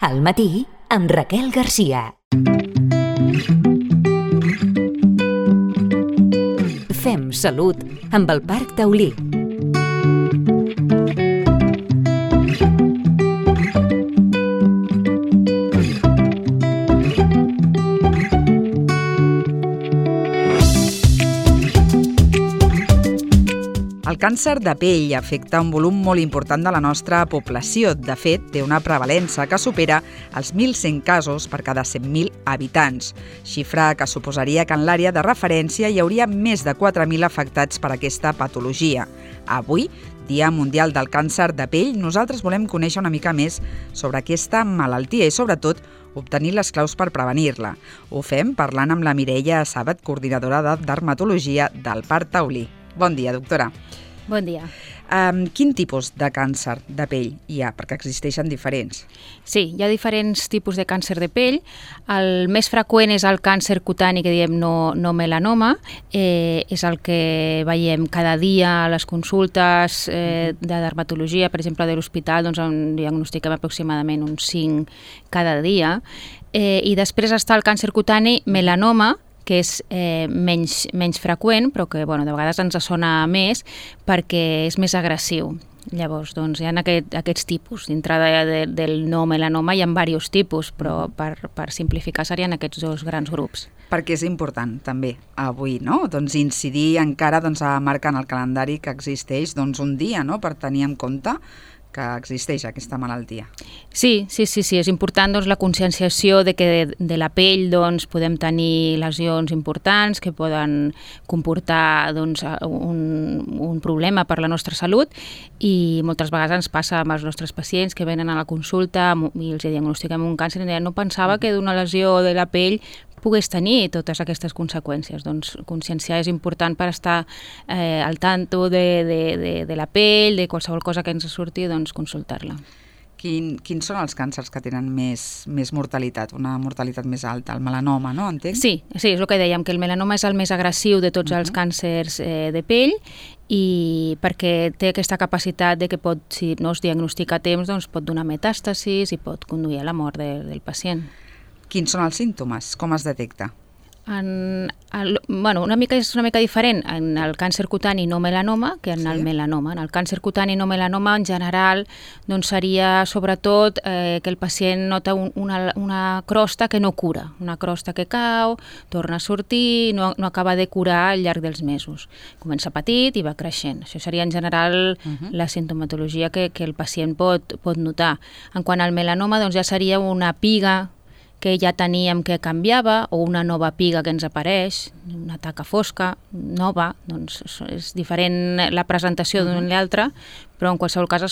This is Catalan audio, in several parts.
Al matí, amb Raquel Garcia. Fem salut amb el Parc Taulí. El càncer de pell afecta un volum molt important de la nostra població. De fet, té una prevalença que supera els 1.100 casos per cada 100.000 habitants, xifra que suposaria que en l'àrea de referència hi hauria més de 4.000 afectats per aquesta patologia. Avui, Dia Mundial del Càncer de Pell, nosaltres volem conèixer una mica més sobre aquesta malaltia i, sobretot, obtenir les claus per prevenir-la. Ho fem parlant amb la Mireia Sàbat, coordinadora de dermatologia del Parc Taulí. Bon dia, doctora. Bon dia. Quin tipus de càncer de pell hi ha? Perquè existeixen diferents. Sí, hi ha diferents tipus de càncer de pell. El més freqüent és el càncer cutani, que diem no melanoma. És el que veiem cada dia a les consultes de dermatologia, per exemple, de l'hospital, doncs en diagnostiquem aproximadament uns 5 cada dia. I després està el càncer cutani melanoma, que és menys freqüent, però que de vegades ens sona més perquè és més agressiu. Llavors, doncs, hi ha aquests tipus. Dintre del no melanoma hi ha diversos tipus, però per simplificar serien aquests dos grans grups. Perquè és important, també, avui, no? Doncs incidir encara a marcar en el calendari que existeix un dia, no?, per tenir en compte que existeix aquesta malaltia. Sí, és important la conscienciació de que de la pell podem tenir lesions importants que poden comportar un problema per la nostra salut, i moltes vegades ens passa amb els nostres pacients que venen a la consulta i els diagnostiquem un càncer i deien no pensava que d'una lesió de la pell pogués tenir totes aquestes conseqüències. Doncs conscienciar és important per estar al tanto de la pell, de qualsevol cosa que ens surti, doncs consultar-la. Quins són els càncers que tenen més mortalitat, una mortalitat més alta? El melanoma, no? Entenc? Sí, és el que dèiem, que el melanoma és el més agressiu de tots els càncers de pell, i perquè té aquesta capacitat de que si no es diagnostica a temps, doncs pot donar metàstasis i pot conduir a la mort del pacient. Quins són els símptomes? Com es detecta? És una mica diferent en el càncer cutani no melanoma que en el melanoma. En el càncer cutani no melanoma, en general, seria sobretot que el pacient nota una crosta que no cura, una crosta que cau, torna a sortir i no acaba de curar al llarg dels mesos. Comença petit i va creixent. Això seria en general la sintomatologia que el pacient pot notar. En quant al melanoma, ja seria una piga que ja teníem que canviava, o una nova piga que ens apareix, una taca fosca, nova, doncs és diferent la presentació d'una i l'altra, però en qualsevol cas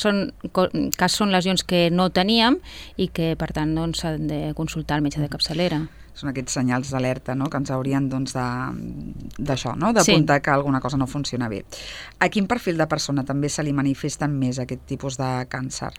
són lesions que no teníem i que, per tant, s'han de consultar al metge de capçalera. Són aquests senyals d'alerta, no?, que ens haurien d'això, no?, d'apuntar que alguna cosa no funciona bé. A quin perfil de persona també se li manifesten més aquest tipus de càncer?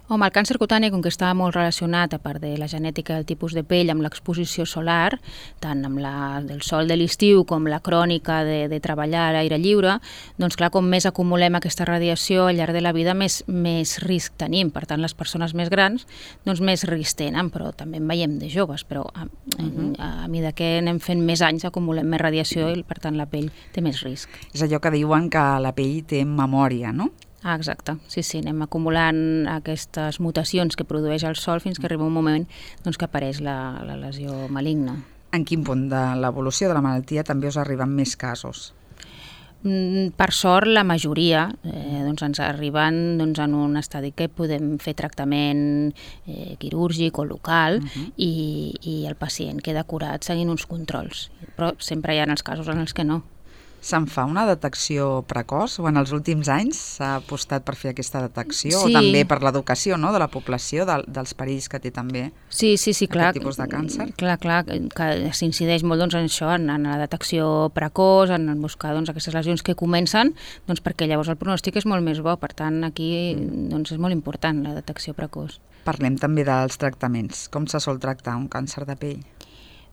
Home, el càncer cutani, com que està molt relacionat, a part de la genètica del tipus de pell, amb l'exposició solar, tant amb del sol de l'estiu com la crònica de treballar a l'aire lliure, doncs clar, com més acumulem aquesta radiació al llarg de la vida, més risc tenim. Per tant, les persones més grans, doncs més risc tenen, però també en veiem de joves, però a mesura que anem fent més anys acumulem més radiació i, per tant, la pell té més risc. És allò que diuen que la pell té memòria, no? Exacte, sí, anem acumulant aquestes mutacions que produeix el sol fins que arriba un moment que apareix la lesió maligna. En quin punt de l'evolució de la malaltia també us arriben més casos? Per sort, la majoria ens arriben en un estadi que podem fer tractament quirúrgic o local i el pacient queda curat seguint uns controls, però sempre hi ha els casos en els que no. Se'n fa una detecció precoç o en els últims anys s'ha apostat per fer aquesta detecció o també per l'educació, no?, de la població, dels perills que té també aquest tipus de càncer? Clar, que s'incideix molt en això, en la detecció precoç, en buscar aquestes lesions que comencen, perquè llavors el pronòstic és molt més bo. Per tant, aquí és molt important la detecció precoç. Parlem també dels tractaments. Com se sol tractar un càncer de pell?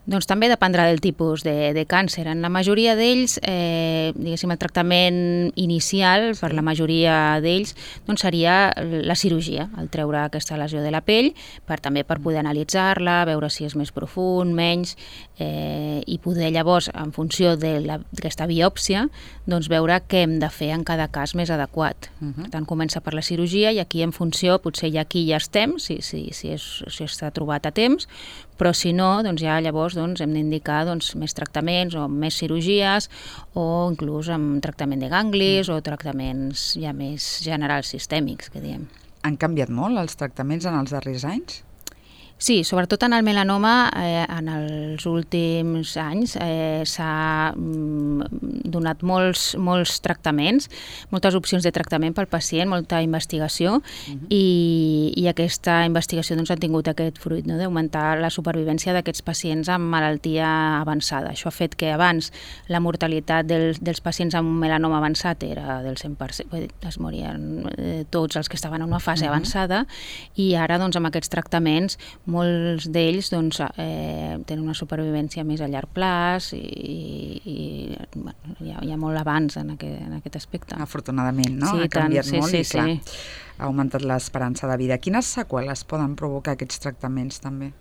Doncs també dependrà del tipus de càncer. En la majoria d'ells, diguéssim, el tractament inicial per la majoria d'ells doncs seria la cirurgia, el treure aquesta lesió de la pell, també per poder analitzar-la, veure si és més profund, menys, i poder llavors, en funció d'aquesta biòpsia, doncs veure què hem de fer en cada cas més adequat. Per tant, comença per la cirurgia i aquí en funció, potser ja aquí ja estem, si està trobat a temps, però si no, doncs ja llavors hem d'indicar més tractaments o més cirurgies o inclús amb tractament de ganglis o tractaments ja més generals sistèmics, que diem. Han canviat molt els tractaments en els darrers anys? Sí, sobretot en el melanoma, en els últims anys s'ha donat molts tractaments, moltes opcions de tractament pel pacient, molta investigació, i aquesta investigació ha tingut aquest fruit, d'augmentar la supervivència d'aquests pacients amb malaltia avançada. Això ha fet que abans la mortalitat dels pacients amb melanoma avançat era del 100%, es morien tots els que estaven en una fase avançada, i ara amb aquests tractaments molts d'ells tenen una supervivència més a llarg plaç i hi ha molt avanç en aquest aspecte. Afortunadament, no? Ha canviat molt i, clar, ha augmentat l'esperança de vida. Quines seqüeles poden provocar aquests tractaments, també?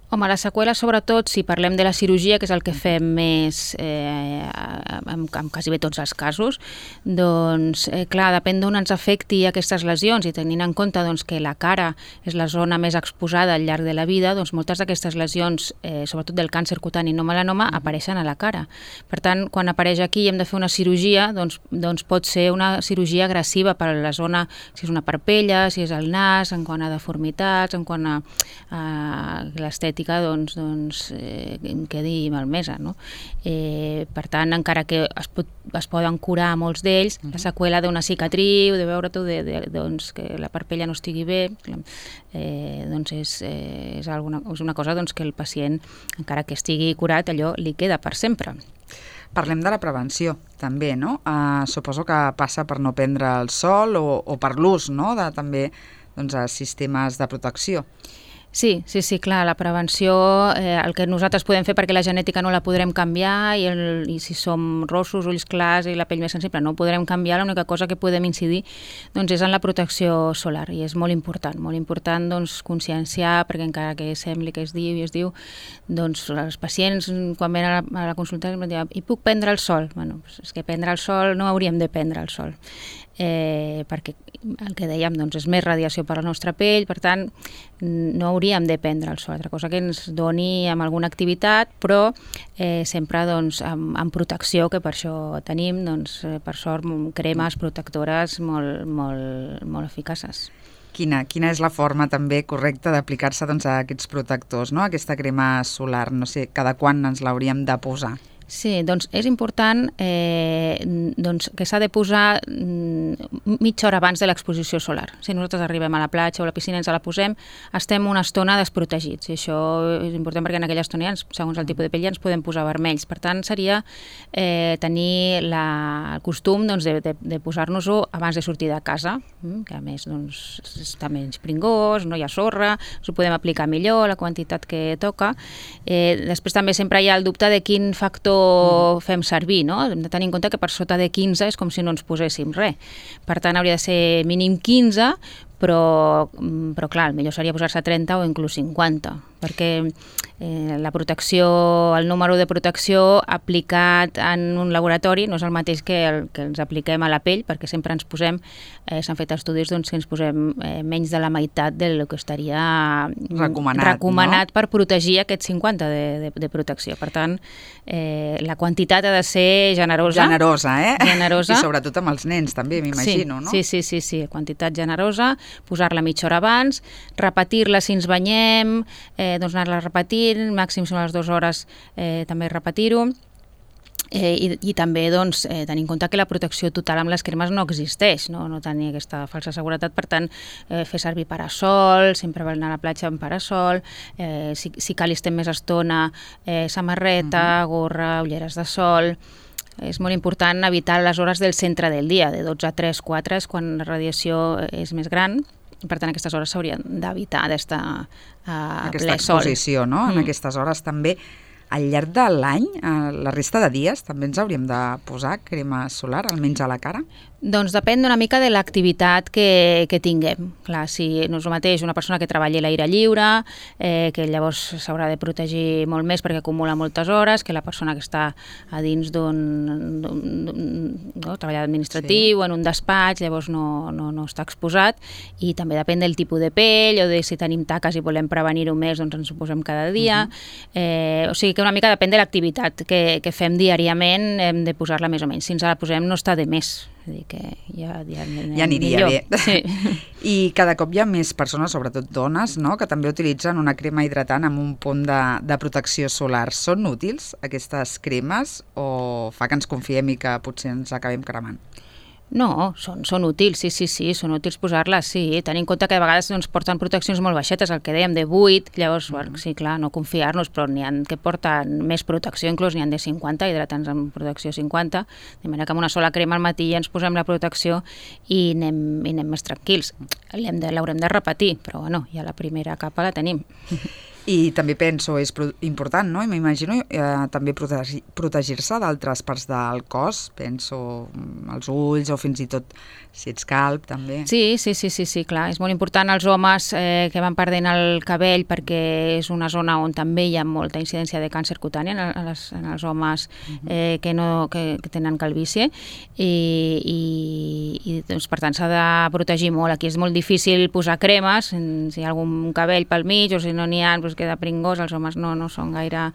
Home, les seqüeles, sobretot, si parlem de la cirurgia, que és el que fem més en quasi bé tots els casos, doncs, clar, depèn d'on ens afecti aquestes lesions, i tenint en compte que la cara és la zona més exposada al llarg de la vida, doncs moltes d'aquestes lesions, sobretot del càncer cutani no melanoma, apareixen a la cara. Per tant, quan apareix aquí i hem de fer una cirurgia, doncs pot ser una cirurgia agressiva per a la zona, si és una parpella, si és el nas, en quant a deformitats, en quant a l'estètica, quedi malmesa, no? Per tant, encara que es poden curar molts d'ells, la seqüela d'una cicatriu, de veure que la parpella no estigui bé, és una cosa que el pacient, encara que estigui curat, allò li queda per sempre. Parlem de la prevenció, també, no? Suposo que passa per no prendre el sol o per l'ús, no?, de també sistemes de protecció. Sí, clar, la prevenció, el que nosaltres podem fer, perquè la genètica no la podrem canviar, i si som rossos, ulls clars i la pell més sensible no ho podrem canviar, l'única cosa que podem incidir és en la protecció solar, i és molt important conscienciar, perquè encara que sembli que es diu, els pacients quan venen a la consulta em diuen, i puc prendre el sol? Bueno, és que prendre el sol no hauríem de prendre el sol, perquè el que dèiem és més radiació per a la nostra pell, per tant no hauríem de prendre el sol, altra cosa que ens doni amb alguna activitat, però sempre amb protecció, que per això tenim, per sort, cremes protectores molt eficaces. Quina és la forma també correcta d'aplicar-se a aquests protectors, no? Aquesta crema solar, no sé, cada quan ens l'hauríem de posar? Sí, és important que s'ha de posar mitja hora abans de l'exposició solar. Si nosaltres arribem a la platja o a la piscina i ens la posem, estem una estona desprotegits, i això és important perquè en aquella estona, segons el tipus de pell, ja ens podem posar vermells. Per tant, seria tenir el costum de posar-nos-ho abans de sortir de casa, que a més està menys pringós, no hi ha sorra, ens ho podem aplicar millor, la quantitat que toca. Després també sempre hi ha el dubte de quin factor fem servir, no? Hem de tenir en compte que per sota de 15 és com si no ens poséssim res. Per tant, hauria de ser mínim 15, però clar, el millor seria posar-se 30 o inclús 50, perquè la protecció, el número de protecció aplicat en un laboratori no és el mateix que el que ens apliquem a la pell, perquè sempre ens posem, s'han fet estudis que ens posem menys de la meitat del que estaria recomanat, no? Per protegir aquest 50 de protecció. Per tant, la quantitat ha de ser generosa. Generosa. I sobretot amb els nens també, m'imagino, no? Sí, quantitat generosa, posar-la mitja hora abans, repetir-la si ens banyem, anar-la repetint, màxim són les 2 hores també repetir-ho, i també tenir en compte que la protecció total amb les cremes no existeix, no tenir aquesta falsa seguretat. Per tant, fer servir parasol, sempre anar a la platja amb parasol, si cal estem més estona, samarreta, gorra, ulleres de sol. És molt important evitar les hores del centre del dia, de 12 a 3, 4, és quan la radiació és més gran. Per tant, aquestes hores s'haurien d'evitar d'estar a ple sol. Aquesta exposició, no? En aquestes hores també. Al llarg de l'any, la resta de dies, també ens hauríem de posar crema solar, almenys a la cara? Doncs depèn una mica de l'activitat que tinguem. Clar, si no és el mateix una persona que treballi a l'aire lliure, que llavors s'haurà de protegir molt més perquè acumula moltes hores, que la persona que està a dins d'un treball administratiu, en un despatx, llavors no està exposat, i també depèn del tipus de pell, o de si tenim taques i volem prevenir-ho més, doncs ens ho posem cada dia. O sigui que una mica depèn de l'activitat que fem diàriament, hem de posar-la més o menys. Si ens la posem no està de més. Dir que ja aniria millor. Bé. Sí. I cada cop hi ha més persones, sobretot dones, no?, que també utilitzen una crema hidratant amb un punt de protecció solar. Són útils aquestes cremes o fa que ens confiem i que potser ens acabem cremant? No, són útils, sí, són útils posar-les, sí. Tenint en compte que a vegades porten proteccions molt baixetes, el que dèiem de 8, llavors, sí, clar, no confiar-nos, però n'hi ha que porten més protecció, inclús n'hi ha de 50, hidratants amb protecció 50, de manera que amb una sola crema al matí ja ens posem la protecció i anem més tranquils. L'haurem de repetir, però bueno, ja la primera capa la tenim. I també penso, és important, no? I m'imagino també protegir-se d'altres parts del cos, penso els ulls o fins i tot si ets calb, també. Sí, clar. És molt important als homes que van perdent el cabell perquè és una zona on també hi ha molta incidència de càncer cutani en els homes que tenen calvície i doncs, per tant s'ha de protegir molt. Aquí és molt difícil posar cremes, si hi ha algun cabell pel mig o si no n'hi ha, doncs queda pringós, els homes no són gaire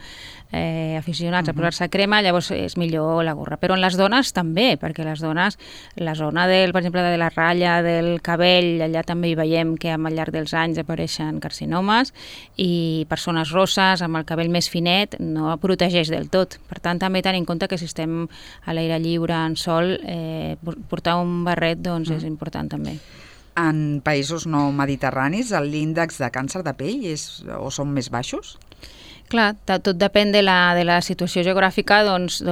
aficionats a posar-se crema, llavors és millor la gorra. Però en les dones també, perquè les dones, la zona per exemple, de la ratlla del cabell, allà també hi veiem que al llarg dels anys apareixen carcinomes i persones rosses amb el cabell més finet no protegeix del tot. Per tant, també tenir en compte que si estem a l'aire lliure, en sol, portar un barret doncs, és important també. En països no mediterranis, l'índex de càncer de pell són més baixos? Clar, tot depèn de la situació geogràfica, doncs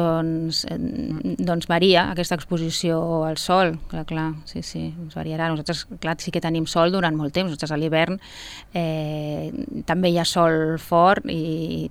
varia aquesta exposició al sol. Clar, sí, ens variarà. Nosaltres, clar, sí que tenim sol durant molt temps. Nosaltres a l'hivern també hi ha sol fort i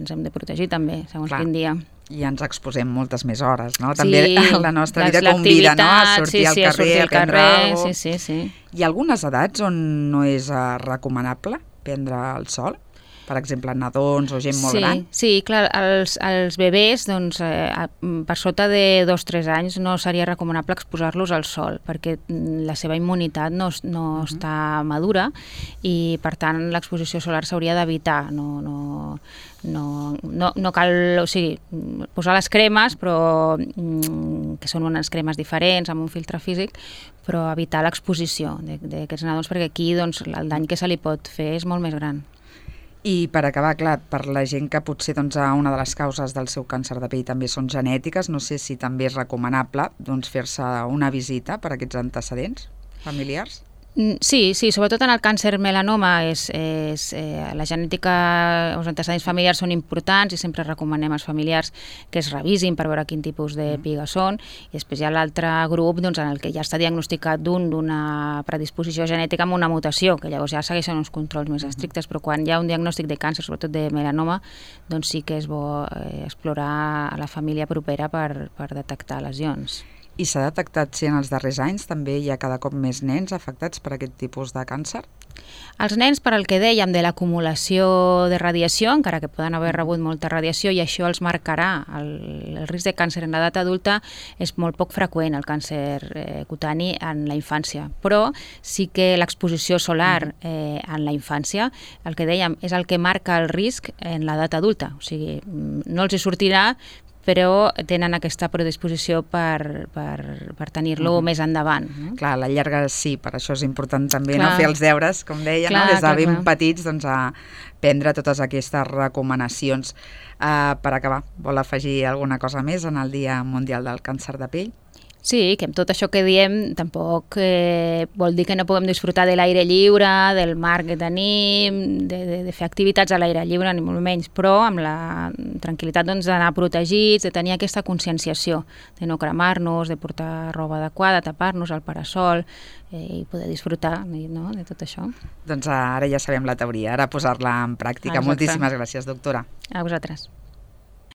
ens hem de protegir també, segons quin dia. I ens exposem moltes més hores, no? També la nostra vida convida, no?, a sortir al carrer, a prendre alguna cosa. Sí. Hi ha algunes edats on no és recomanable prendre el sol? Per exemple, nadons o gent molt gran? Sí, clar, els bebès, doncs, per sota de 2-3 anys no seria recomanable exposar-los al sol, perquè la seva immunitat no està madura i, per tant, l'exposició solar s'hauria d'evitar. No cal, o sigui, posar les cremes, però que són unes cremes diferents, amb un filtre físic, però evitar l'exposició d'aquests nadons, perquè aquí doncs, el dany que se li pot fer és molt més gran. I per acabar, clar, per la gent que potser una de les causes del seu càncer de pell també són genètiques, no sé si també és recomanable fer-se una visita per aquests antecedents familiars? Sí, sobretot en el càncer melanoma la genètica, els antecedents familiars són importants i sempre recomanem als familiars que es revisin per veure quin tipus de piga són, i després hi ha l'altre grup en el que ja està diagnosticat d'una predisposició genètica amb una mutació, que llavors ja segueixen uns controls més estrictes, però quan hi ha un diagnòstic de càncer, sobretot de melanoma, doncs sí que és bo explorar a la família propera per detectar lesions. I s'ha detectat si en els darrers anys també hi ha cada cop més nens afectats per aquest tipus de càncer? Els nens, per al que dèiem de l'acumulació de radiació, encara que poden haver rebut molta radiació i això els marcarà el risc de càncer en l'edat adulta, és molt poc freqüent el càncer cutani en la infància. Però sí que l'exposició solar en la infància, el que dèiem, és el que marca el risc en l'edat adulta. O sigui, no els hi sortirà, però tenen aquesta predisposició per tenir-lo més endavant. Clar, a la llarga sí, per això és important també fer els deures, com deia, des de ben petits, a prendre totes aquestes recomanacions. Per acabar, vol afegir alguna cosa més en el Dia Mundial del Càncer de Pell? Sí, que amb tot això que diem tampoc vol dir que no puguem disfrutar de l'aire lliure, del mar que tenim, de fer activitats a l'aire lliure, ni molt menys, però amb la tranquil·litat d'anar protegits, de tenir aquesta conscienciació, de no cremar-nos, de portar roba adequada, tapar-nos al parasol i poder disfrutar de tot això. Doncs ara ja sabem la teoria, ara posar-la en pràctica. Exacte. Moltíssimes gràcies, doctora. A vosaltres.